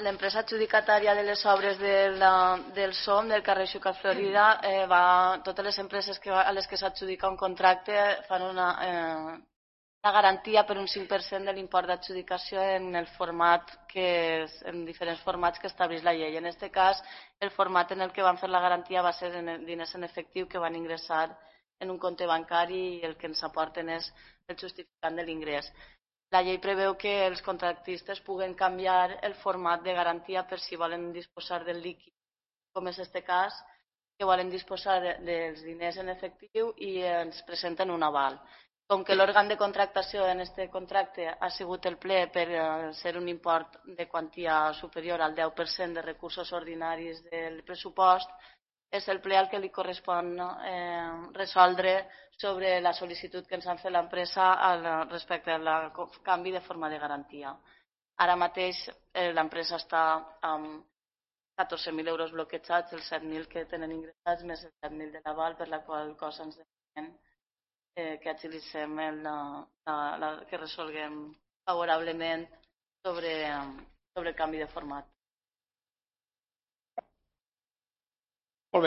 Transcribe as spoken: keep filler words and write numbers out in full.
L'empresa adjudicatària de les obres del, del S O M, del carrer Xúquer Florida, eh, va, totes les empreses que, a les que s'adjudica un contracte fan una, eh, una garantia per un cinc per cent de l'import d'adjudicació en el format que és, en diferents formats que estableix la llei. En aquest cas, el format en el que van fer la garantia va ser en diners en efectiu que van ingressar en un compte bancari i el que ens aporten és el justificant de l'ingrés. La llei preveu que els contractistes puguen canviar el format de garantia per si volen disposar del líquid, com és aquest cas, que volen disposar dels diners en efectiu i ens presenten un aval. Com que l'òrgan de contractació en aquest contracte ha sigut el ple per ser un import de quantia superior al deu per cent de recursos ordinaris del pressupost, és el ple al que li correspon eh, resoldre sobre la sol·licitud que ens han fet l'empresa respecte al canvi de forma de garantia. Ara mateix eh, l'empresa està amb catorze mil euros bloquejats, els set mil que tenen ingressats, més els set mil de l'aval, per la qual cosa ens demanem eh, que agilitzem, el, la, la, que resolguem favorablement sobre, sobre el canvi de format.